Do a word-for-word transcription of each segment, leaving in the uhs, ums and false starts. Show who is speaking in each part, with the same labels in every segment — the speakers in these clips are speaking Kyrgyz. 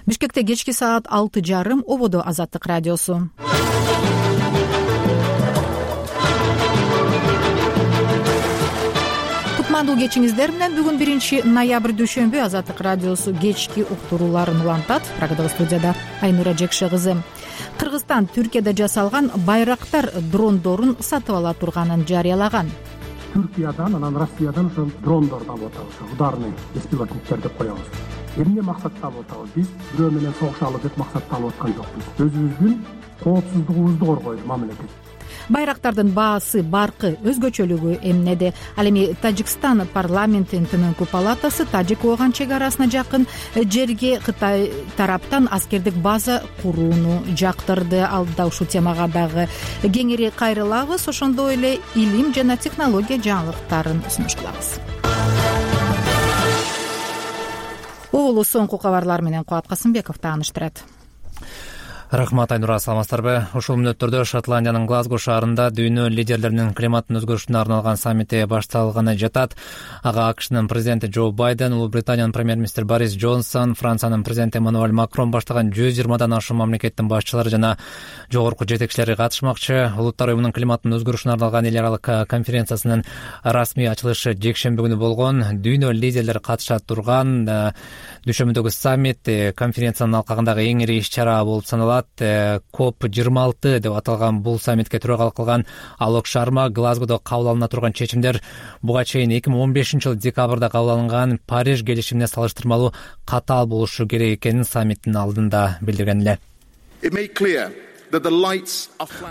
Speaker 1: Бишкекте кечки саат алты жарым. Ободо Азаттык радиосу. Кутмандуу кечиңиздер менен бүгүн биринчи ноябрь дүйшөмбү Азаттык радиосу кечки уктурууларын улантат. Прагадагы студияда Айнура Жекше кызы. Кыргызстан Түркияда жасалган байрактар дрондорун сатып ала турганын жарыялаган.
Speaker 2: Түркиядан, анан Россиядан ошол дрондорду алып атабыз, ударный беспилотниктер деп коебуз. Эмне максатта алып атабыз? Биз бирөө менен согушалы деп максатта алып аткан жокпуз. Өзүбүздүн коопсуздугубузду коргойлу мамиле.
Speaker 1: Байрактардын баасы, баркы, өзгөчөлүгү эмнеде? Ал эми Тажикстан парламентинин төмөнкү палатасы Тажик-Ооган чек арасына жакын жерге Кытай тараптан аскердик база курууну жактырды. Алда ушул темага дагы кеңири кайрылабыз. Ошондой эле илим жана технология жаңылыктарын сунуш кылабыз. Угулу соңку кабарлар менен Кубат Касымбеков тааныштырат.
Speaker 3: Рахмат, Айнура, саламатсыздарбы? Ушул мүнөттөрдө Шотландиянын Глазго шаарында дүйнө лидерлеринин климаттын өзгөрүшүнө арналган саммити башталганы жатат. Ага АКШнын президенти Джо Байден, Улуу Британиянын премьер-министри Борис Джонсон, Франциянын президенти Эммануэль Макрон баштаган жүз жыйырмадан ашуун мамлекеттин башчылары жана жогорку жетекчилери катышмакчы. Улуттар уюмунун климаттын өзгөрүшүнө арналган эл аралык конференциясынын расмий ачылышы жекшемби күнү болгон. Дүйнө лидерлери катыша турган дүйшөмбүдөгү саммит конференциянын алкагындагы эң ири иш-чара болуп саналат. коп жыйырма алты деп аталган бул саммитке төрагалык кылган Алок Шарма Глазгодо кабыл алына турган чечимдер буга чейин эки миң он бешинчи жылы декабрда кабыл алынган Париж келишимине салыштырмалуу катаал болушу керек экенин саммиттин алдында билдирген эле.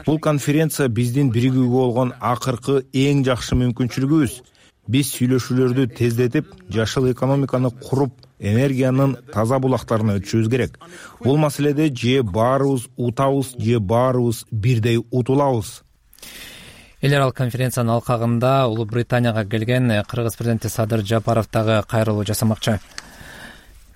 Speaker 4: Бул конференция биздин биригүүгө болгон акыркы эң жакшы мүмкүнчүлүгүбүз. Биз сүйлөшүүлөрдү тездетип, жашыл экономиканы куруп, энергиянын таза булактарына өтүшүбүз керек. Бул маселеде же баарыбыз утабыз, же баарыбыз бирдей утулабыз.
Speaker 3: Эл аралык конференциянын алкагында Улуу Британияга келген Кыргыз президенти Садыр Жапаров дагы кайрылуу жасамакчы.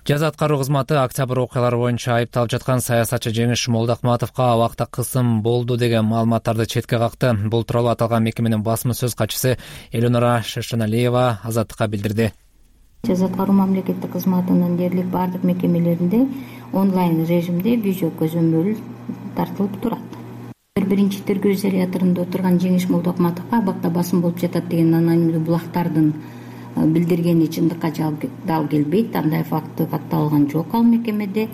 Speaker 3: Жаза аткаруу кызматы октябрь окуялары боюнча айыпталып жаткан саясатчы Жеңиш Молдокматовго абакта кысым болду деген маалыматтарды четке какты. Бул тууралуу аталган мекеменин басма сөз катчысы Элеонора Шешеналиева Азаттыкка билдирди.
Speaker 5: Жаза аткаруу мамлекеттик кызматынын дээрлик бардык мекемелеринде онлайн режимде видео көзөмөл тартылып турат. Биринчи тергөө изоляторунда отурган Жеңиш Молдокматовго абакта басым болуп жатат деген анонимдүү булактардын билдиргени чындыкка дал келбейт. Андай факты катталган жок ал мекемеде.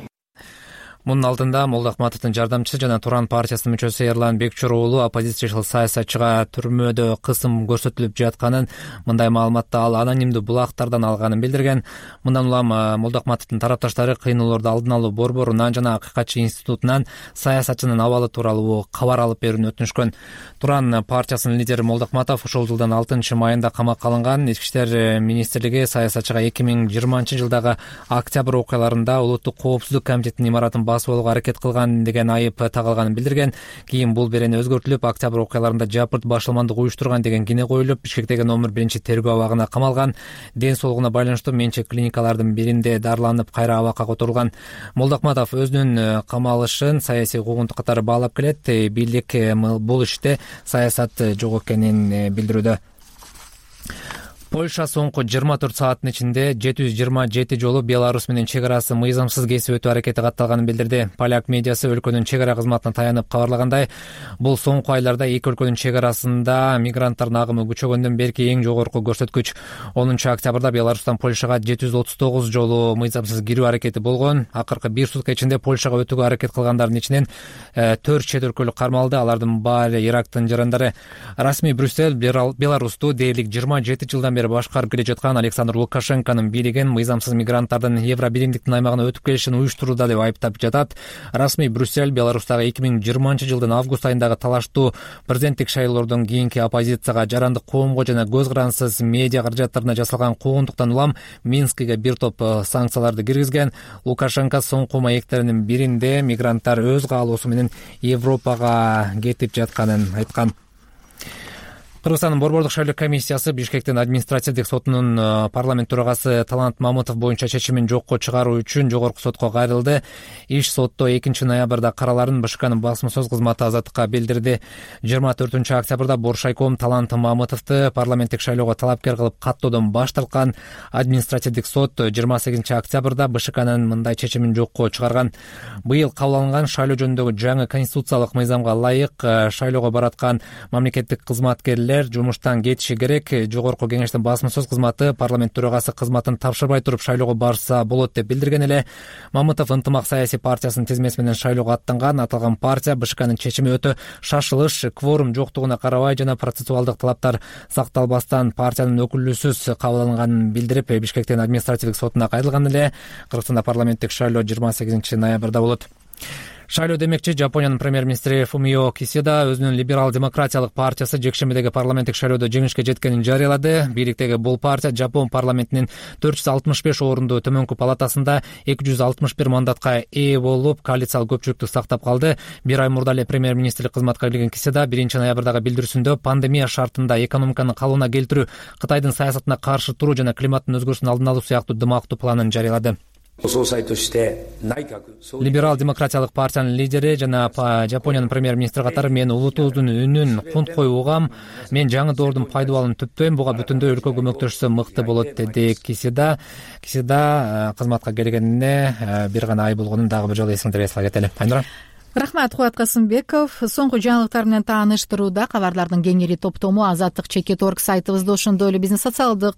Speaker 3: Мунун алдында Молдокматовдун жардамчысы жана Туран партиясынын мүчөсү Эрлан Бекчур уулу оппозициячыл саясатчыга түрмөдө кысым көрсөтүлүп жатканын, мындай маалыматты ал анонимдүү булактардан алганын билдирген. Мындан улам Молдокматовдун тарапташтары кыйноолорду алдын алуу борборунан жана Акыйкатчы институтунан саясатчынын абалы тууралуу кабар алып берүүнү өтүнүшкөн. Туран партиясынын лидери Молдокматов ушул жылдын алтынчы майында камакка алынган. Ички иштер министрлиги саясатчыга эки миң жыйырманчы жылдагы октябрь окуяларында улуттук коопсуздук комитетинин имаратын басып алууга аракет кылган деген айып тагылганын билдирген. Кийин бул берени өзгөртүлүп, октябрь окуяларында жапырт башылмандык уюштурган деген кине коюлуп, Бишкектеги номер биринчи тергөө абагына камалган. Ден соолугуна байланыштуу менчик клиникалардын биринде дарыланып, кайра абакка которулган. Молдокматов өзүнүн камалышын саясий куугунтук катары баалап келет. Бийлик бул иште саясат жок экенин билдирүүдө. Польша соңку жыйырма төрт сааттын ичинде жети жүз жыйырма жети жолу Беларусь менен чек арасын мыйзамсыз кесип өтүү аракети катталганын билдирди. Поляк медиасы өлкөнүн чек ара кызматына таянып кабарлагандай, бул соңку айларда эки өлкөнүн чек арасында мигранттардын агымы күчөгөндөн берки эң жогорку көрсөткүч. онунчу октябрда Беларустан Польшага жети жүз отуз тогуз жолу мыйзамсыз кирүү аракети болгон. Акыркы бир сутка ичинде Польшага өтүүгө аракет кылгандардын ичинен төрт чет өлкөлүк кармалды. Алардын баары Ирактын жарандары. Расмий Брюссель Беларусту дээрлик жыйырма жети жылдан бери башкарып келе жаткан Александр Лукашенконун бийлигин мыйзамсыз мигранттардын Евробиримдиктин аймагына өтүп келишин уюштурууда деп айыптап жатат. Расмий Брюссель Беларустагы эки миң жыйырманчы жылдын август айындагы талаштуу президенттик шайлоодон кийинки оппозицияга, жарандык коомго жана көз карансыз медиа каражаттарына жасалган куугунтуктан улам Минскиге бир топ санкцияларды киргизген. Лукашенко соңку маектеринин биринде мигранттар өз каалоосу менен Европага кетип жатканын айткан. Кыргызстандын Борбордук шайлоо комиссиясы Бишкектин административдик сотунун парламент төрагасы Талант Мамытов боюнча чечимин жокко чыгаруу үчүн жогорку сотко кайрылды. Иш сотто экинчи ноябрда караларын БШКнын басма сөз кызматы азаттыкка билдирди. жыйырма төртүнчү октябрда Боршайком Талант Мамытовду парламенттик шайлоого талапкер кылып каттоодон баш тарткан. Административдик сот жыйырма сегизинчи октябрда БШКнын мындай чечимин жокко чыгарган. Быйыл кабыл алынган шайлоо жөнүндөгү жаңы конституциялык мыйзамга ылайык шайлоого бараткан мамлекеттик кызматкерлер жумуштан кетиши керек. Жогорку кеңештин басма сөз кызматы парламент төрагасы кызматын тапшырбай туруп шайлоого барса болот деп билдирген эле. Мамытов ынтымак саясий партиясынын тизмеси менен шайлоого аттанган. Аталган партия БШКнын чечими өтө шашылыш, кворум жоктугуна карабай жана процессуалдык талаптар сакталбастан партиянын өкүлдүүсүз кабыл алынганын билдирип, Бишкектин административдик сотуна кайрылган эле. Кыргызстанда парламенттик шайлоо жыйырма сегизинчи ноябрда болот. Шайлоо демекчи Жапониянын премьер-министри Фумио Кисида өзүнүн либерал-демократиялык партиясы жекшембидеги парламенттик шайлоодо жеңишке жеткенин жарыялады. Бийликтеги бул партия Жапон парламентинин төрт жүз алтымыш беш орунду төмөнкү палатасында эки жүз алтымыш бир мандатка ээ болуп, коалициялык көпчүлүктү сактап калды. Бир ай мурда эле премьер-министрлик кызматка кирген Кисида биринчи ноябрдагы билдирүүсүндө пандемия шартында экономиканы калыбына келтирүү, Кытайдын саясатына каршы туруу жана климаттын өзгөрүшүнүн алдын алуу сыяктуу дымактуу планын жарыялады. Либерал-демократиялык партиянын лидери жана Жапониянын премьер-министри катары мен улутубуздун үнүн кунткой угам, мен жаңы доордун пайдабалын түптөйм, буга бүтүндөй өлкө көмөктөшсө мыкты болот деди Кисида. Кисида кызматка келгенине бир гана ай болгонун дагы бир жолу эсиңерге сала кетели. Айнура.
Speaker 1: Рахмат, Кубат Касымбеков. Соңку жаңылыктар менен тааныштырууда кабарлардын кеңири топтому азаттык чекит точка орг сайтыбызда, ошондой эле биздин социалдык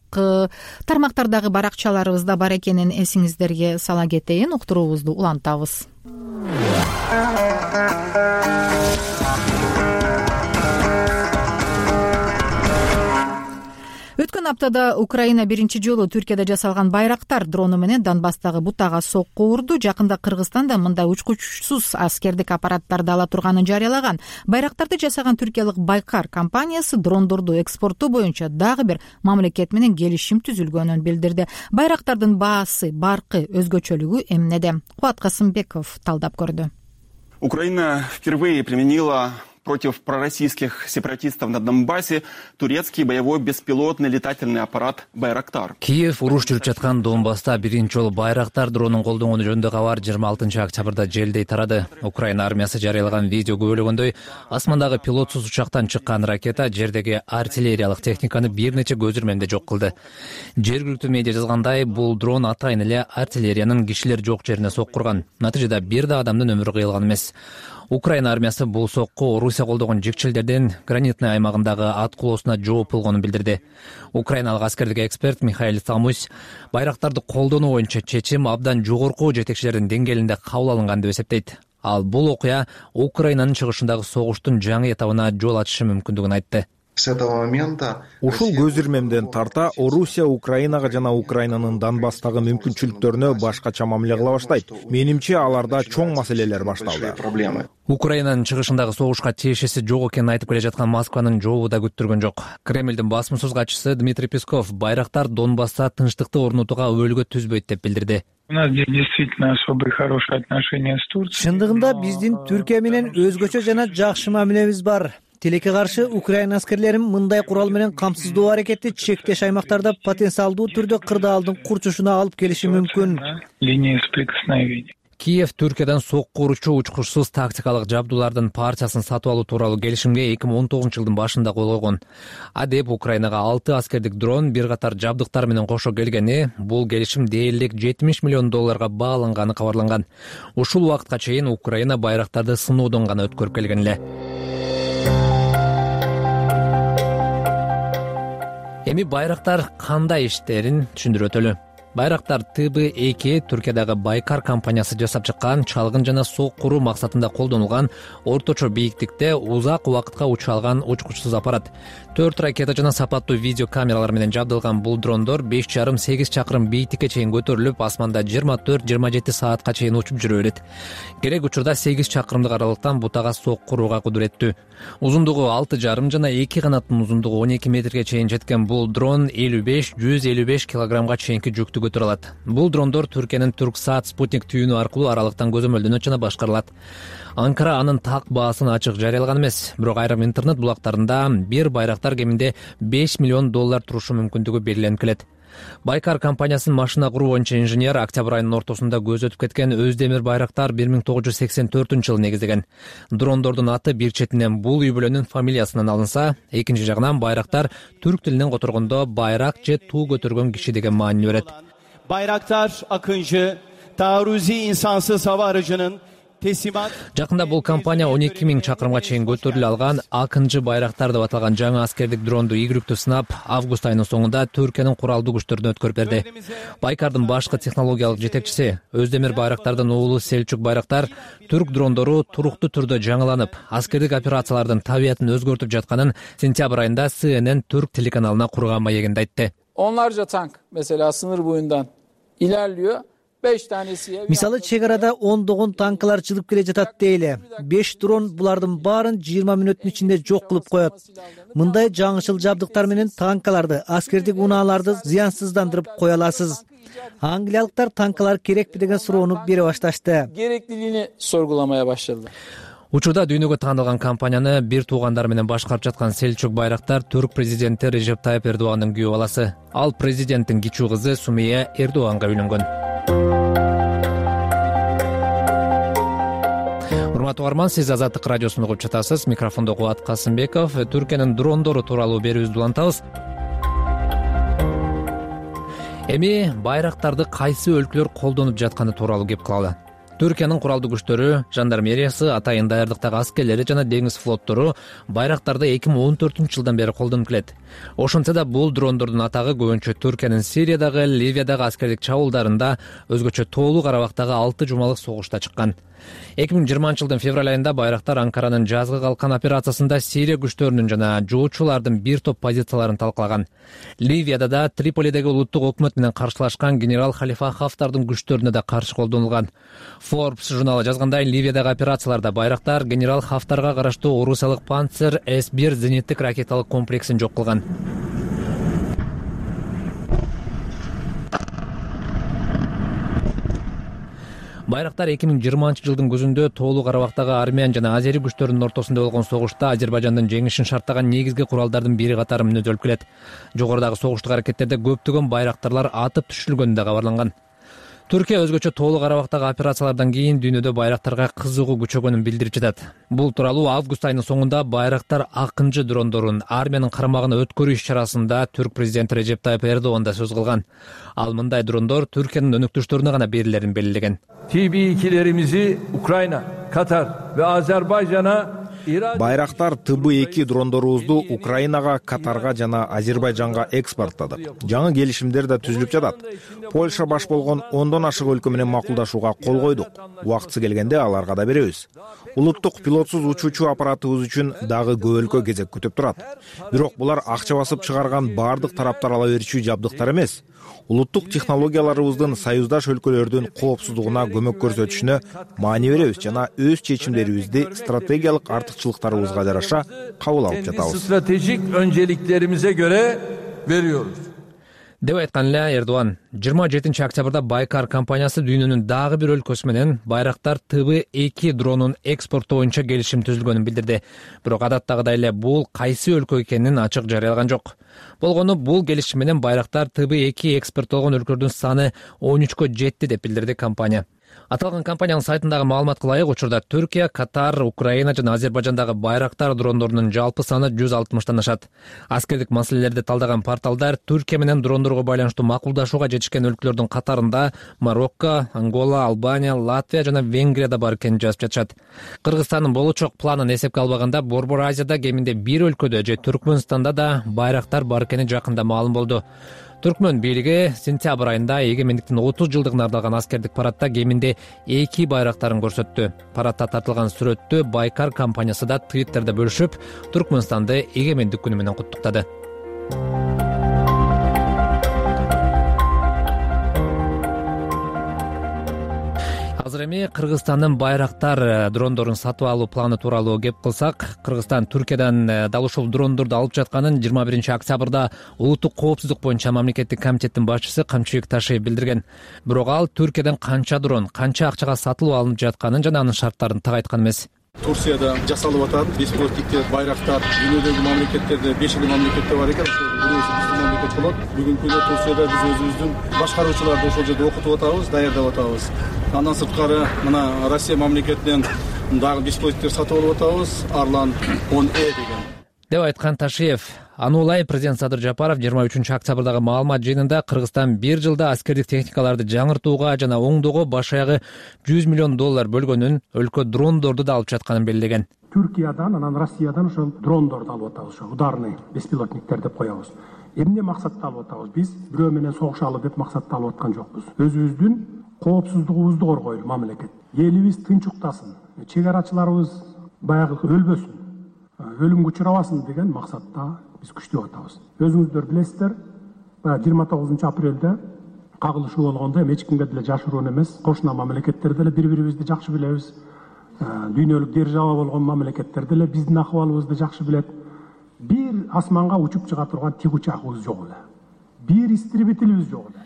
Speaker 1: тармактардагы баракчаларыбызда бар экенин эсиңиздерге сала кетейин. Уктуруубузду улантабыз. Өткөн аптада Украина биринчи жолу Түркияда жасалган байрактар дрону менен Донбасстагы бутага сокку урду. Жакында Кыргызстан да мындай учкучсуз аскердик аппараттарды ала турганын жарыялаган. Байрактарды жасаган түркиялык Байкар компаниясы дрондорду экспорттоо боюнча дагы бир мамлекет менен келишим түзүлгөнүн билдирди. Байрактардын баасы, баркы, өзгөчөлүгү эмнеде? Кубат Касымбеков талдап көрдү.
Speaker 6: Украина впервые применила против пророссийских сепаратистов на Донбассе турецкий боевой беспилотный летательный аппарат «Байрактар».
Speaker 3: Киев уруш жүрүп жаткан Донбасста биринчи жолу Байрактар дронун колдонгону жөнүндө кабар жыйырма алтынчы октябрда желдей тарады. Украина армиясы жарыялаган видео күбөлөгөндөй, асмандагы пилотсуз учактан чыккан ракета жердеги артиллериялык техниканы бир нече көз ирмемде жок кылды. Жергиликтүү медиа жазгандай, бул дрон атайын эле артиллериянын кишилер жок жерине соккурган. Натыйжада бир да адамдын өмүрү кыйылган эмес. Украина армиясы бул сокку Орусия колдогон жекчелдердин гранитный аймагындагы аткулоосуна жооп болгонун билдирди. Украиналык аскердик эксперт Михаил Самусь байрактарды колдонуу боюнча чечим абдан жогорку жетекчилердин деңгээлинде кабыл алынган деп эсептейт. Ал бул окуя Украинанын чыгышындагы согуштун жаңы этабына жол ачышы мүмкүндүгүн айтты.
Speaker 7: С этого момента
Speaker 4: ушул көз ирмемден тарта Орусия Украинага жана Украинанын Донбасстагы мүмкүнчүлүктөрүнө башкача мамиле кыла баштайт. Менимче аларда чоң маселелер башталды.
Speaker 3: Украинанын чыгышындагы согушка тиешеси жок экенин айтып келе жаткан Москванын жообу да күттүргөн жок. Кремлдин басма сөз катчысы Дмитрий Песков байрактар Донбасста тынчтыкты орнотууга өлгө түзбөйт деп билдирди.
Speaker 8: У нас здесь действительно особые хорошие отношения с Турцией.
Speaker 9: Чындыгында биздин Түркия менен өзгөчө жана жакшы мамилебиз бар. Тилекке каршы Украина аскерлерин мындай курал менен камсыздоо аракети чектеш аймактарда потенциалдуу түрдө кырдаалдын курчушуна алып келиши мүмкүн.
Speaker 8: Линия соприкосновения.
Speaker 3: Киев Түркиядан сокку уручу учкучсуз тактикалык жабдуулардын партиясын сатып алуу тууралуу келишимге эки миң он тогузунчу жылдын башында кол койгон. Адеп Украинага алты аскердик дрон, бир катар жабдыктар менен кошо келгени, бул келишим дээрлик жетимиш миллион долларга бааланганы кабарланган. Ушул убакытка чейин Украина байрактарды сыноодон гана өткөрүп келген эле. Эми байрактар кандай иштерин түшүндүрүп өтөлү. Байрактар Т Б эки Түркиядагы Байкар компаниясы жасап чыккан чалгын жана соккуруу максатында колдонулган орточо бийиктикте узак убакытка уча алган учкучсуз аппарат. Төрт ракета жана сапаттуу видео камералар менен жабдылган бул дрондор беш жарым сегиз чакырым бийиктикке чейин көтөрүлүп, асманда жыйырма төрт жыйырма жети саатка чейин учуп жүрө берет. Керек учурда сегиз чакырымдык аралыктан бутага соккурууга кудуреттүү. Узундугу алты жарым жана эки канаттын узундугу он эки метрге чейин жеткен бул дрон элүү беш жүз элүү беш килограммга чейинки жүктү көтөрө алат. Бул дрондор Түркиянын Турксат спутник түйүнү аркылуу аралыктан көзөмөлдөнөт жана башкарылат. Анкара анын так баасын ачык жарыялаган эмес, бирок айрым интернет булактарында бир байрактар кеминде беш миллион доллар турушу мүмкүндүгү белгиленип келет. Байкар компаниясынын машина куруу боюнча инженер октябрь айынын ортосунда көз өтүп кеткен Өздемир байрактар бир миң тогуз жүз сексен төртүнчү жылы негиздеген. Дрондордун аты бир четинен бул үй бүлөнүн фамилиясынан алынса, экинчи жагынан байрактар түрк тилинен которгондо байрак же туу көтөргөн киши деген маани берет.
Speaker 7: Bayraktar Akıncı, taarruzi insansız hava aracının
Speaker 3: Жакында бул компания он эки миң чакырымга чейин көтөрүлө алган Акынчы байрактар деп аталган жаңы аскердик дронду ийгиликтүү сынап август айынын соңунда Түркиянын куралдуу күчтөрүнө өткөрүп берди. Байкардын башкы технологиялык жетекчиси Өздемир байрактардын уулу Селчук байрактар түрк дрондору туруктуу түрдө жаңыланып, аскердик операциялардын табиятын өзгөртүп жатканын сентябрь айында С Н N Türk телеканалына курган маегинде айтты.
Speaker 10: Onlarca tank mesela sınır boyundan ilerliyor.
Speaker 9: Мисалы, чек арада ондогон танкалар чыгып келе жатат дейли. беш дрон булардын баарын жыйырма мүнөттүн ичинде жок кылып коет. Мындай жаңычыл жабдыктар менен танкаларды, аскердик унааларды зыянсыздандырып кое аласыз. Англиялыктар танкалар керекпи деген суроону бере башташты.
Speaker 10: Gerekliliğini sorgulamaya başladılar.
Speaker 3: Учурда дүйнөгө таанылган компанияны бир туугандары менен башкарып жаткан Селчук байрактар түрк президенти Режеп Тайып Эрдогандын күйөө баласы. Ал президенттин кичүү кызы Сумия Эрдоганга үйлөнгөн. Урматтуу угарман, сиз Азаттык радиосун угуп жатасыз. Микрофондо Кубат Касымбеков. Түркиянын дрондору тууралуу берүүбүздү улантабыз. Эми байрактарды кайсы өлкөлөр колдонуп жатканы тууралуу кеп кылалы. Түркиянын куралдуу күчтөрү, жандармериясы, атайын даярдыктагы аскерлери жана деңиз флоттору байрактарды эки миң он төртүнчү жылдан бери колдонуп келет. Ошентсе да бул дрондордун атагы көбүнчө Түркиянын Сириядагы, Ливиядагы аскердик чабуулдарында, өзгөчө Тоолуу Карабактагы алты жумалык согушта чыккан. эки миң жыйырманчы жылдын февраль айында байрактар Анкаранын жазгы калкан операциясында Сирия күчтөрүнүн жана жоочулардын бир топ позицияларын талкалаган. Ливияда да Триполидеги улуттук өкмөт менен каршылашкан генерал Халифа Хафтардын күчтөрүнө да каршы колдонулган. Forbes журналы жазгандай, Ливиядагы операцияларда байрактар генерал Хафтарга караштуу Орусиялык Панцер С бир зениттик ракеталык комплексин жок кылган. Байрактар эки миң жыйырманчы жылдын күзүндө Тоолуу Карабактагы армян жана азери күчтөрүнүн ортосунда болгон согушта Азербайжандын жеңишин шарттаган негизги куралдардын бири катары мүнөзөлүп келет. Жогорудагы согуштук аракеттерде көптөгөн байрактарлар атып түшүрүлгөнү да кабарланган. Түркия өзгөчө Тоолуу Карабактагы операциялардан кийин дүйнөдө байрактарга кызыгуу күчөгөнүн билдирип жатат. Бул тууралуу август айынын соңунда байрактар Акынчы дрондорун армиянын карамагына өткөрүү иш-чарасында түрк президенти Режеп Тайып Эрдоган да сөз кылган. Ал мындай дрондор Түркиянын өнөктөштөрүнө гана берилерин белгилеген.
Speaker 11: T B ikilerimizi Ukrayna, Katar ve Azerbaycan'a
Speaker 4: Байрактар Т Б эки дрондорубузду Украинага, Катарга жана Азербайжанга экспорттадык. Жаңы келишимдер да түзүлүп жатат. Польша баш болгон ондон ашык өлкө менен макулдашууга кол койдук. Убактысы келгенде аларга да беребиз. Улуттук пилотсуз учуучу аппаратыбыз үчүн дагы көп өлкө кезек күтүп турат. Бирок булар акча басып чыгарган бардык тараптар ала берчү жабдыктар эмес. Улуттук технологияларыбыздын союздаш өлкөлөрдүн коопсуздугуна көмөк көрсөтүшүнө маани беребиз жана өз чечимдерибизди стратегиялык артыкчылыктарыбызга жараша кабыл алып жатабыз.
Speaker 11: Stratejik önceliklerimize göre veriyoruz.
Speaker 3: деп айткан эле Эрдоган. жыйырма жетинчи октябрда Байкар компаниясы дүйнөнүн дагы бир өлкөсү менен байрактар Т Б эки дронун экспорттоо боюнча келишим түзүлгөнүн билдирди. Бирок адаттагыдай эле бул кайсы өлкө экенин ачык жарыялаган жок. Болгону бул келишим менен байрактар Т Б эки экспорттолгон өлкөлөрдүн саны он үчкө жетти деп билдирди компания. Аталган компаниянын сайтындагы маалыматка ылайык, учурда Түркия, Катар, Украина жана Азербайжандагы байрактар дрондорунун жалпы саны жүз алтымыштан ашат. Аскердик маселелерди талдаган порталдар Түркия менен дрондорго байланыштуу макулдашууга жетишкен өлкөлөрдүн катарында Марокко, Ангола, Албания, Латвия жана Венгрия да бар экенин жазып жатышат. Кыргызстандын болочок планын эсепке албаганда Борбор Азияда кеминде бир өлкөдө же Түркмөнстанда да байрактар бар экени жакында маалым болду. Түркмөн бийлиги сентябрь айында эгемендиктин отуз жылдыгына арналган аскердик парадта кеминде эки байрактарын көрсөттү. Парадта тартылган сүрөттү Байкар компаниясы да Twitterде бөлүшүп, Түркмөнстанды эгемендик күнү менен куттуктады. азыр эми Кыргызстандын Байрактар дрондорун сатып алуу планы тууралуу кеп кылсак, Кыргызстан Түркиядан дал ушул дрондорду алып жатканын жыйырма биринчи октябрда улуттук коопсуздук боюнча мамлекеттик комитеттин башчысы Камчыбек Ташиев билдирген. Бирок ал Түркиядан канча дрон, канча акчага сатылып алынып жатканын жана анын шарттарын так айткан эмес.
Speaker 12: Турцияда жасалып атат. Беспилотниктер, Байрактар дүйнөдөгү мамлекеттерде беш эле мамлекетте бар экен. Бирөөсү биздин мамлекет болот. Бүгүнкү күндө Турцияда биз өзүбүздүн башкаруучуларды ошол жерде окутуп атабыз, даярдап атабыз. Андан сырткары мына Россия мамлекетинен дагы беспилотниктер сатып алып атабыз. Арлан он э деген.
Speaker 3: Деп айткан Ташиев. Аны улай президент Садыр Жапаров жыйырма үчүнчү октябрдагы маалымат жыйынында Кыргызстан бир жылда аскердик техникаларды жаңыртууга жана оңдоого баш аягы жүз миллион доллар бөлгөнүн, өлкө дрондорду да алып жатканын белгилеген.
Speaker 2: Түркиядан, анан Россиядан ошол дрондорду алып атабыз, ошо ударный беспилотниктер деп коебуз. Эмне максатта алып атабыз? Биз бирөө менен согушалы деп максатта алып аткан жокпуз. Өзүбүздүн коопсуздугубузду коргойлу мамлекет. Элибиз тынчуктасын, чек арачыларыбыз баягы өлбөсүн, өлүмгө учурабасын деген максатта биз күчтөп атабыз. Өзүңүздөр билесиздер, баягы жыйырма тогузунчу апрелде кагылышуу болгондо эч кимге деле жашыруун эмес, кошуна мамлекеттер деле бири-бирибизди жакшы билебиз. Дүйнөлүк держава болгон мамлекеттер деле биздин акыбалыбызды жакшы билет. Бир асманга учуп чыга турган тик учагыбыз жок эле. Бир истребителибиз жок эле.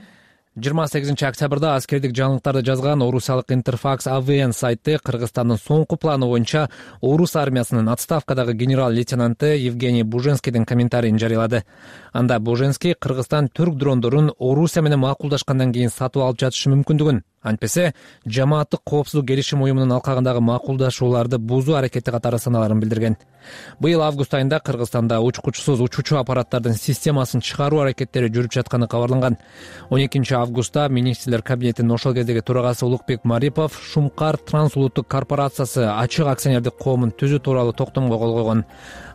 Speaker 3: жыйырма сегизинчи октябрда аскердик жаңылыктарды жазган орусиялык Интерфакс А В Н сайты Кыргызстандын соңку планы боюнча орус армиясынын отставкадагы генерал-лейтенанты Евгений Буженскийдин комментарийин жарыялады. Анда Буженский Кыргызстан түрк дрондорун Орусия менен макулдашкандан кийин сатып алып жатышы мүмкүндүгүн, антпесе жамааттык коопсуздук келишим уюмунун алкагындагы макулдашууларды бузуу аракети катары саналарын билдирген. Быйыл август айында Кыргызстанда учкучсуз учуучу аппараттардын системасын чыгаруу аракеттери жүрүп жатканы кабарланган. он экинчи августта министрлер кабинетинин ошол кездеги төрагасы Улукбек Марипов Шумкар трансулуттук корпорациясы ачык акционердик коомун түзүү тууралуу токтомго кол койгон.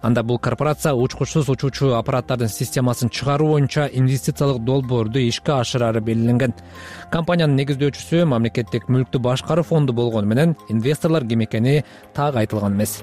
Speaker 3: Анда бул корпорация учкучсуз учуучу аппараттардын системасын чыгаруу боюнча инвестициялык долбоорду ишке ашырары белгиленген. Компаниянын негиздөөчүсү мамлекеттик мүлктү башкаруу фонду болгону менен инвесторлор ким экени так айтылган эмес.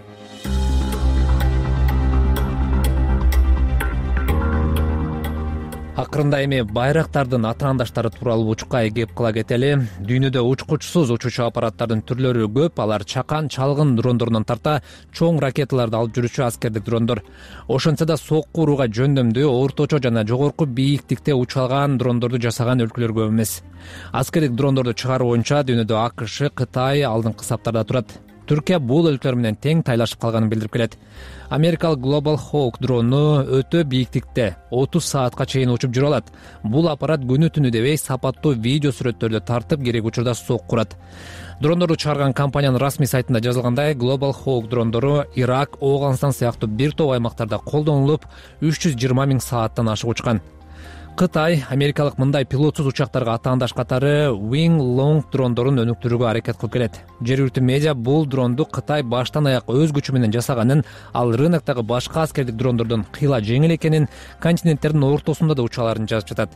Speaker 3: Акырында эми Байрактардын атаандаштары тууралуу учукка кеп кыла кетели. Дүйнөдө учкучсуз учуучу аппараттардын түрлөрү көп. Алар чакан, чалгын дрондорунан тарта чоң ракеталарды алып жүрүүчү аскердик дрондор. Ошентсе да сокку урууга жөндөмдүү, орточо жана жогорку бийиктикте уча алган дрондорду жасаган өлкөлөр көп эмес. Аскердик дрондорду чыгаруу боюнча дүйнөдө А К Ш, Кытай алдыңкы саптарда турат. Түркия бул өлкөлөр менен тең тайлашып калганын билдирип келет. Америкалык Global Hawk дрону өтө бийиктикте отуз саатка чейин учуп жүрө алат. Бул аппарат күнү түнү дебей сапаттуу видео сүрөттөрдү тартып керек учурда сокку урат. Дрондорду чыгарган компаниянын расмий сайтында жазылгандай, Global Hawk дрондору Ирак, Ооганстан сыяктуу бир топ аймактарда колдонулуп, үч жүз жыйырма миң сааттан ашык учкан. Кытай америкалык мындай пилотсуз учактарга атаандаш катары Wing Long дрондорун өнүктүрүүгө аракет кылып келет. Жергиликтүү медиа бул дронду Кытай баштан аяк өз күчү менен жасаганын, ал рыноктогу башка аскердик дрондордон кыйла жеңил экенин, континенттердин ортосунда да учаларын жазып жатат.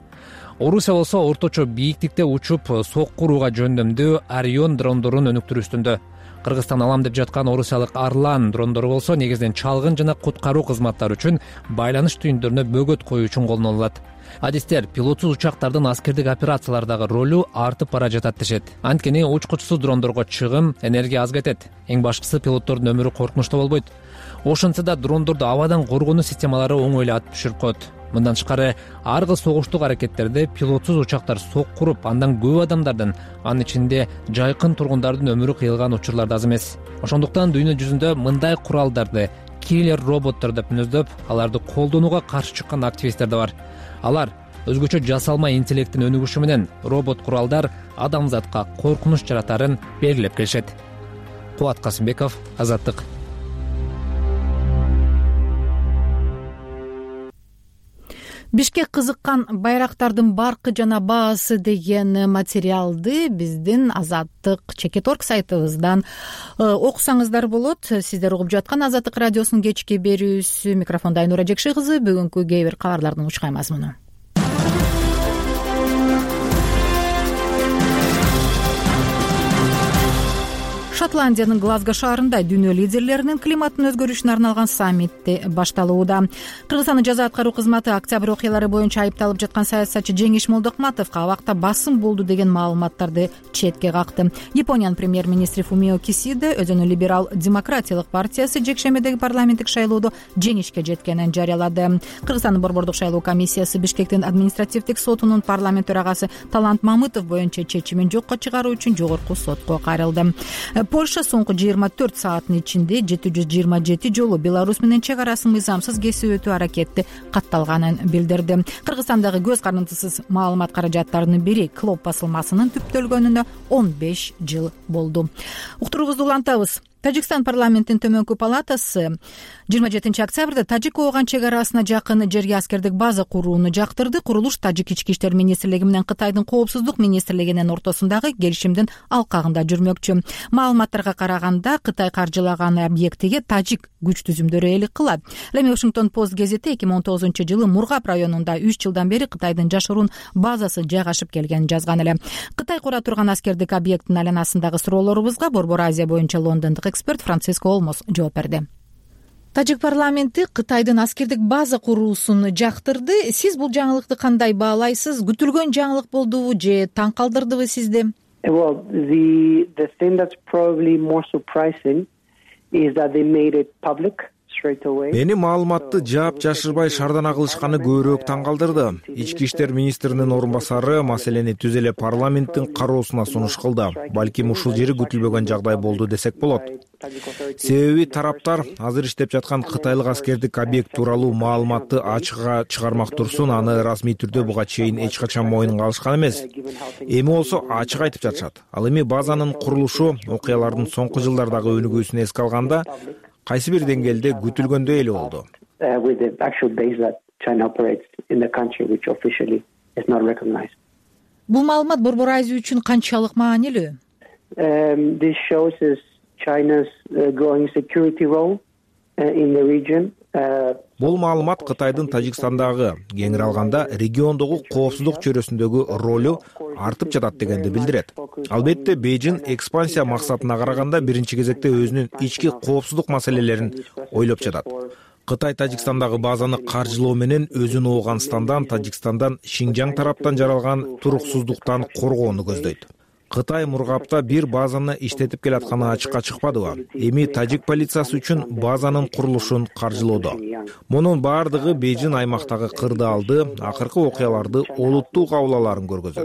Speaker 3: Орусия болсо орточо бийиктикте учуп сокку урууга жөндөмдүү Орион дрондорун өнүктүрүү үстүндө. Кыргызстан алам деп жаткан орусиялык Арлан дрондору болсо негизинен чалгын жана куткаруу кызматтары үчүн байланыш түйүндөрүнө бөгөт коюу үчүн колдонулат. Адистер пилотсуз учактардын аскердик операциялардагы ролу артып бара жатат дешет. Анткени учкучсуз дрондорго чыгым, энергия аз кетет. Эң башкысы пилоттордун өмүрү коркунучта болбойт. Ошентсе да дрондорду абадан коргонуу системалары оңой эле атып түшүрүп коет. Мындан тышкары ар кыл согуштук аракеттерде пилотсуз учактар соккуруп, андан көп адамдардын, анын ичинде жайкын тургундардын өмүрү кыйылган учурлар да аз эмес. Ошондуктан дүйнө жүзүндө мындай куралдарды киллер роботтор деп мүнөздөп, аларды колдонууга каршы чыккан активисттер да бар. Алар өзгөчө жасалма интеллекттин өнүгүшү менен робот куралдар адамзатка коркунуч жаратарын белгилеп келишет. Кубат Касымбеков, Азаттык.
Speaker 1: Бишкек кызыккан Байрактардын баркы жана баасы деген материалды биздин Азаттык чекит орг сайтыбыздан окусаңыздар болот. Сиздер угуп жаткан Азаттык радиосунун кечки берүүсү, микрофондо Айнура Жекши кызы. Бүгүнкү кээ бир кабарлардын учкай мазмуну. Шотландиянын Глазго шаарында дүйнө лидерлеринин климаттын өзгөрүшүнө арналган саммити башталууда. Кыргызстандын жаза аткаруу кызматы октябрь окуялары боюнча айыпталып жаткан саясатчы Жеңиш Молдокматовго абакта басым болду деген маалыматтарды четке какты. Япониянын премьер-министри Фумио Кисида өзүнүн либерал-демократиялык партиясы жекшембидеги парламенттик шайлоодо жеңишке жеткенин жарыялады. Кыргызстандын борбордук шайлоо комиссиясы Бишкектин административдик сотунун парламент төрагасы Талант Мамытов боюнча чечимин жокко чыгаруу үчүн жогорку сотко кайрылды. Польша соңку жыйырма төрт сааттын ичинде жети жүз жыйырма жети жолу Беларусь менен чек арасын мыйзамсыз кесип өтүү аракети катталганын билдирди. Кыргызстандагы көз карандысыз маалымат каражаттарынын бири Клоп басылмасынын түптөлгөнүнө он беш жыл болду. Уктуруубузду улантабыз. Тажикстан парламентинин төмөнкү палатасы жыйырма жетинчи октябрда Тажик-Ооган чек арасына жакын жерге аскердик база курууну жактырды. Курулуш Тажик ички иштер министрлиги менен Кытайдын коопсуздук министрлигинин ортосундагы келишимдин алкагында жүрмөкчү. Маалыматтарга караганда Кытай каржылаган объектиге тажик күч түзүмдөрү ээлик кылат. Эми Washington Post гезити эки миң он тогузунчу жылы Мургап районунда үч жылдан бери Кытайдын жашыруун базасы жайгашып келгенин жазган эле. Кытай кура турган аскердик объекттин айланасындагы суроолорубузга Борбор Азия боюнча лондондук эксперт Франциско Олмос жооп берди. Тажик парламенти Кытайдын аскердик база куруусун жактырды. Сиз бул жаңылыкты кандай баалайсыз? Күтүлгөн жаңылык болдубу же таң калтырдыбы сизди?
Speaker 13: Well, the the thing that's probably more surprising is that they made it public.
Speaker 4: Мени маалыматты жаап жашырбай шардана кылышканы көбүрөөк таң калтырды. Ички иштер министринин орун басары маселени түз эле парламенттин кароосуна сунуш кылды. Балким ушул жери күтүлбөгөн жагдай болду десек болот. Себеби тараптар азыр иштеп жаткан кытайлык аскердик объект тууралуу маалыматты ачыкка чыгармак турсун, аны расмий түрдө буга чейин эч качан моюнга алышкан эмес. Эми болсо ачык айтып жатышат. Ал эми базанын курулушу окуялардын соңку жылдардагы өнүгүүсүн эске алганда кайсы бир деңгээлде күтүлгөндөй эле болду.
Speaker 1: Бул маалымат Борбор Азия үчүн канчалык маанилүү?
Speaker 4: Бул маалымат Кытайдын Тажикстандагы, кеңири алганда региондогу коопсуздук чөйрөсүндөгү ролу артып жатат дегенди билдирет. Албетте Бейжин экспансия максатына караганда биринчи кезекте өзүнүн ички коопсуздук маселелерин ойлоп жатат. Кытай Тажикстандагы базаны каржылоо менен өзүн Ооганстандан, Тажикстандан, Шинжаң тараптан жаралган туруксуздуктан коргоону көздөйт. Кытай Мургапта бир базаны иштетип келатканы ачыкка чыкпадыбы? Эми тажик полициясы үчүн базанын курулушун каржылоодо. Мунун баардыгы Бейжин аймактагы кырдаалды, акыркы окуяларды олуттуу кабыл көргөзөт.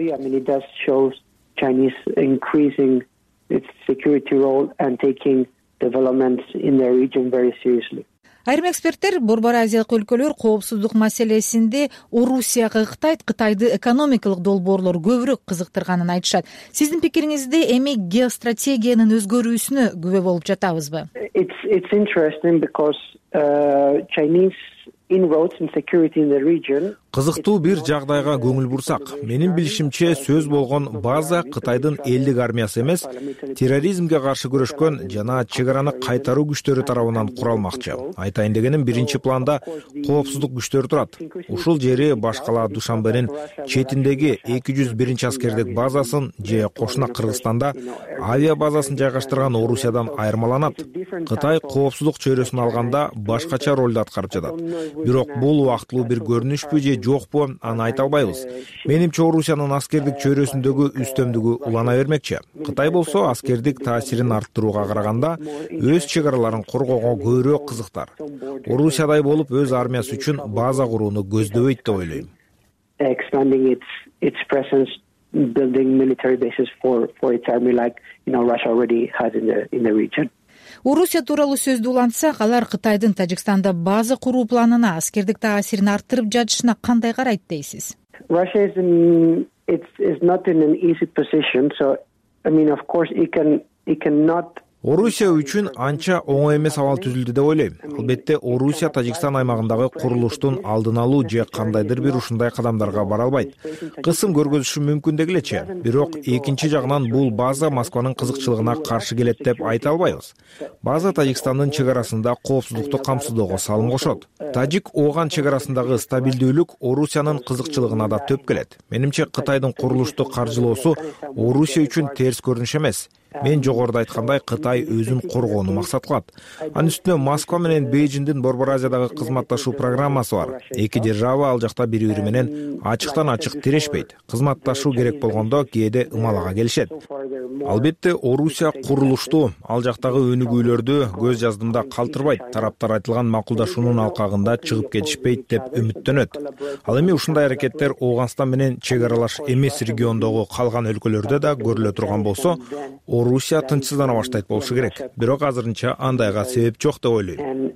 Speaker 1: Айрым эксперттер Борбор Азиялык өлкөлөр коопсуздук маселесинде Орусияга ыктайт, Кытайды экономикалык долбоорлор көбүрөөк кызыктырганын айтышат. Сиздин пикириңизде эми геостратегиянын өзгөрүүсүнө күбө болуп жатабызбы?
Speaker 13: It's it's interesting because uh, Chinese inroads in security in the region.
Speaker 4: Кызыктуу бир жагдайга көңүл бурсак, менин билишимче сөз болгон база Кытайдын элдик армиясы эмес, терроризмге каршы күрөшкөн жана чек араны кайтаруу күчтөрү тарабынан куралмакчы. Айтайын дегеним, биринчи планда коопсуздук күчтөрү турат. Ушул жери башкала Душанбенин четиндеги эки жүз биринчи аскердик базасын же кошуна Кыргызстанда авиа базасын жайгаштырган Орусиядан айырмаланат. Кытай коопсуздук чөйрөсүн алганда башкача ролду аткарып жатат. Бирок бул убактылуу бир көрүнүшпү же жокпу, аны айта албайбыз. Менимче Орусиянын аскердик чөйрөсүндөгү үстөмдүгү улана бермекчи. Кытай болсо аскердик таасирин арттырууга караганда өз чек араларын коргоого көбүрөөк кызыктар. Орусиядай болуп өз армиясы үчүн база курууну көздөбөйт деп ойлойм.
Speaker 13: Expanding its its presence, building military bases for for its army like you know Russia already has in the in the region.
Speaker 1: Орусия тууралуу сөздү улантсак, алар Кытайдын Тажикстанда база куруу планына, аскердик таасирин арттырып жатышына кандай карайт дейсиз?
Speaker 13: Russia is in it's is not in an easy position, so I mean of course it can it cannot
Speaker 4: Орусия үчүн анча оңой эмес абал түзүлдү деп ойлойм. Албетте Орусия Тажикстан аймагындагы курулуштун алдын алуу же кандайдыр бир ушундай кадамдарга бара албайт. Кысым көргөзүшү мүмкүн дегилечи. Бирок экинчи жагынан бул база Москванын кызыкчылыгына каршы келет деп айта албайбыз. База Тажикстандын чек арасында коопсуздукту камсыздоого салым кошот. Тажик-Ооган чек арасындагы стабилдүүлүк Орусиянын кызыкчылыгына да төп келет. Менимче Кытайдын курулушту каржылоосу Орусия үчүн терс көрүнүш эмес. Мен жогоруда айткандай, Кытай өзүн коргоону максат кылат. Анын үстүнө Москва менен Бейжиңдин Борбор Азиядагы кызматташуу программасы бар. Эки держава ал жакта бири-бири менен ачыктан ачык тирешпейт. Кызматташуу керек болгондо кээде ымалага келишет. Албетте, Орусия курулуштуу. Ал жактагы өнүгүүлөрдү көз жаздымда калтырбайт. Тараптар айтылган макулдашуунун алкагында чыгып кетишпейт деп үмүттөнөт. Ал эми ушундай аракеттер Ооганстан менен чек аралаш эмес региондогу калган өлкөлөрдө да көрүлө турган болсо, Орусия тынчсыздана баштайт болушу керек. Бирок азырынча андайга себеп жок деп ойлойм.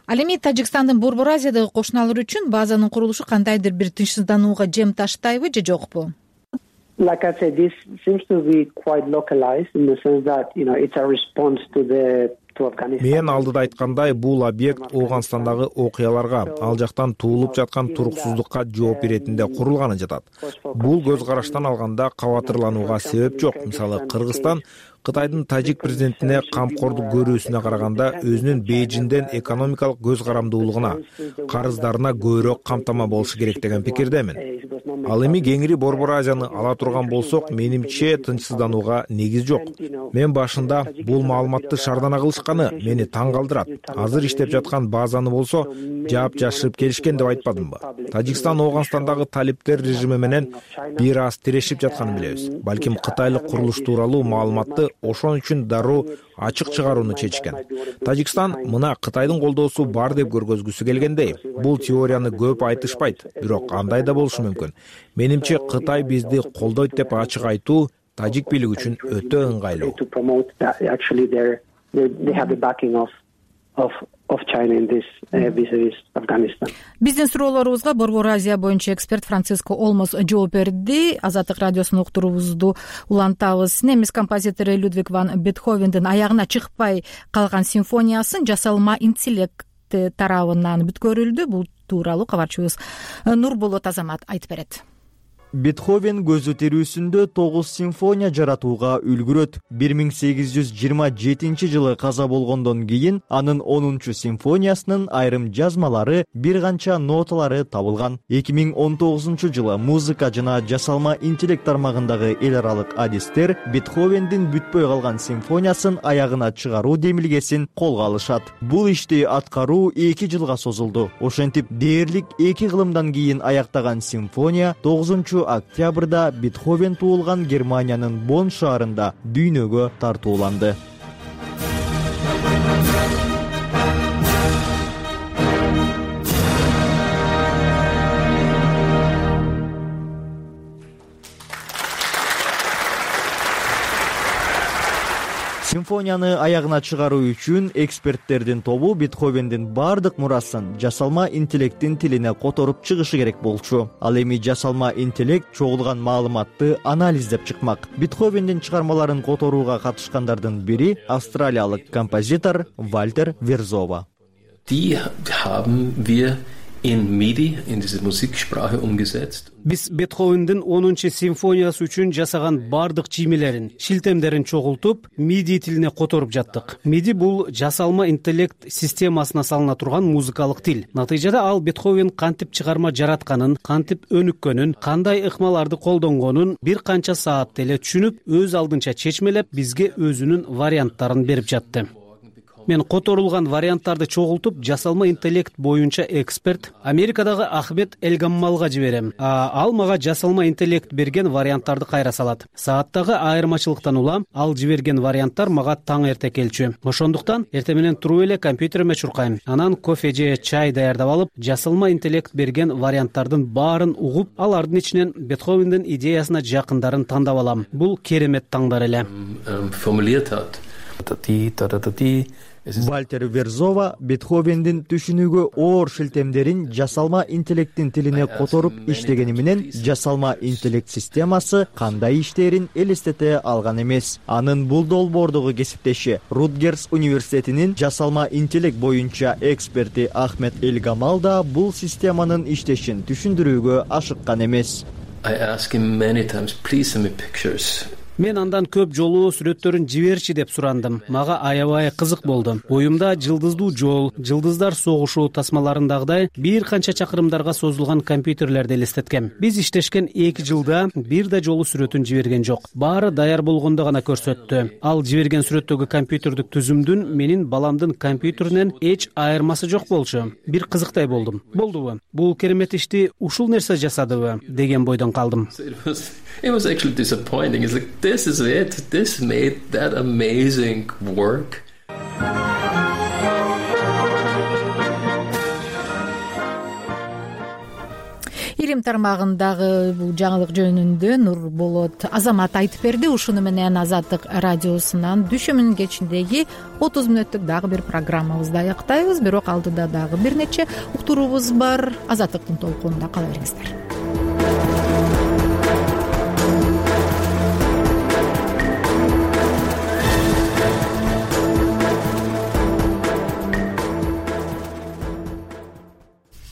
Speaker 1: Ал эми Тажикстандын Борбор Азиядагы кошуналары үчүн базанын курулушу кандайдыр бир тынчсызданууга жем таштайбы же жокпу?
Speaker 13: Like I said, this seems to be quite localized in the sense that, you know, it's a response to the
Speaker 4: Мен алдыда айткандай, бул объект Ооганстандагы окуяларга, ал жактан туулуп жаткан туруксуздукка жооп иретинде курулганы жатат. Бул көз караштан алганда кабатырланууга себеп жок. Мисалы, Кыргызстан Кытайдын тажик президентине камкордук көрүүсүнө караганда өзүнүн Бейжиңден экономикалык көз карамдуулугуна, карыздарына көбүрөөк камтама болушу керек деген пикирдемин. Ал эми кеңири Борбор Азияны ала турган болсок, менимче тынчсызданууга негиз жок. Мен башында бул маалыматты шардана кылышканы мени таң калтырат. Азыр иштеп жаткан базаны болсо, жаап жашырып келишкен деп айтпадымбы? Тажикстан Ооганстандагы талиптер режими менен бир аз тирешип жатканын билебиз. Балким кытайлык курулуш тууралуу маалыматты ошон үчүн дароо ачык чыгарууну чечкен. Тажикстан мына Кытайдын колдоосу бар деп көргөзгүсү келгендей. Бул теорияны көп айтышпайт, бирок андай да болушу мүмкүн. Менимче Кытай бизди колдойт деп ачык айтуу тажик бийлиги үчүн өтө ыңгайлуу.
Speaker 1: Биздин суроолорубузга Борбор Азия боюнча эксперт Франциско Олмос жооп берди. Азаттык радиосунун уктуруубузду улантабыз. Немис композитору Людвиг ван Бетховендин аягына чыкпай калган симфониясын жасалма интеллект тарабынан бүткөрүлдү. Бул тууралуу кабарчыбыз Нурболот Азамат айтып берет.
Speaker 14: Бетховен көзү тирүүсүндө тогуз симфония жаратууга үлгүрөт. бир миң сегиз жүз жыйырма жетинчи жылы каза болгондон кийин анын онунчу симфониясынын айрым жазмалары, бир канча ноталары табылган. эки миң он тогузунчу жылы музыка жана жасалма интеллект тармагындагы эл аралык адистер Бетховендин бүтпөй калган симфониясын аягына чыгаруу демилгесин колго алышат. Бул ишти аткаруу эки жылга созулду. Ошентип дээрлик эки кылымдан кийин аяктаган симфония тогузунчу октябрда Бетховен туулган Германиянын Бонн шаарында дүйнөгө тартууланды. Симфонияны аягына чыгаруу үчүн эксперттердин тобу Бетховендин бардык мурасын жасалма интеллекттин тилине которуп чыгышы керек болчу. Ал эми жасалма интеллект чогулган маалыматты анализдеп чыкмак. Бетховендин чыгармаларын которууга катышкандардын бири австралиялык композитор Вальтер Верзова.
Speaker 15: Die haben wir in MIDI, in diese Musiksprache umgesetzt.
Speaker 16: Биз Бетховендин онунчу симфониясы үчүн жасаган бардык чиймелерин, шилтемдерин чогултуп, MIDI тилине которуп жаттык. MIDI бул жасалма интеллект системасына салына турган музыкалык тил. Натыйжада ал Бетховен кантип чыгарма жаратканын, кантип өнүккөнүн, кандай ыкмаларды колдонгонун бир канча саатта эле түшүнүп, өз алдынча чечмелеп, бизге өзүнүн варианттарын берип жатты. Мен которулган варианттарды чогултуп, жасалма интеллект боюнча эксперт Америкадагы Ахмед Элгаммалга жиберем. А ал мага жасалма интеллект берген варианттарды кайра салат. Сааттагы айырмачылыктан улам ал жиберген варианттар мага таң эрте келчү. Ошондуктан эрте менен туруп эле компьютериме чуркайм. Анан кофе же чай даярдап алып, жасалма интеллект берген варианттардын баарын угуп, алардын ичинен Бетховендин идеясына жакындарын тандап алам. Бул керемет таңдар эле.
Speaker 14: Вальтер Верзова Бетховендин түшүнүүгө оор шилтемдерин жасалма интеллекттин тилине которуп иштегени менен жасалма интеллект системасы кандай иштерин элестете алган эмес. Анын бул долбоордогу кесиптеши Рутгерс университетинин жасалма интеллект боюнча эксперти Ахмед Элгамал да бул системанын иштешин түшүндүрүүгө ашыккан эмес.
Speaker 15: I ask him many times, please send me pictures.
Speaker 16: мен андан көп жолу сүрөттөрүн жиберчи деп сурандым. Мага аябай кызык болду. Оюмда жылдыздуу жол, жылдыздар согушу тасмаларындагыдай бир канча чакырымдарга созулган компьютерлерди элестеткем. Биз иштешкен эки жылда бир да жолу сүрөтүн жиберген жок. Баары даяр болгондо гана көрсөттү. Ал жиберген сүрөттөгү компьютердик түзүмдүн менин баламдын компьютеринен эч айырмасы жок болчу. Бир кызыктай болдум. Болдубу? Бул керемет ишти ушул нерсе жасадыбы деген бойдон калдым.
Speaker 15: It was actually disappointing. It's like, this is it. This made that amazing work.
Speaker 1: Илим тармагындагы бул жаңылык жөнүндө Нурболот Азамат айтып берди. Ушуну менен Азаттык радиосунан дүйшөмүнүн кечиндеги отуз мүнөттүк дагы бир программабызды аяктайбыз. Бирок алдыда дагы бир нече уктуруубуз бар. Азаттыктын толкунунда кала бериңиздер.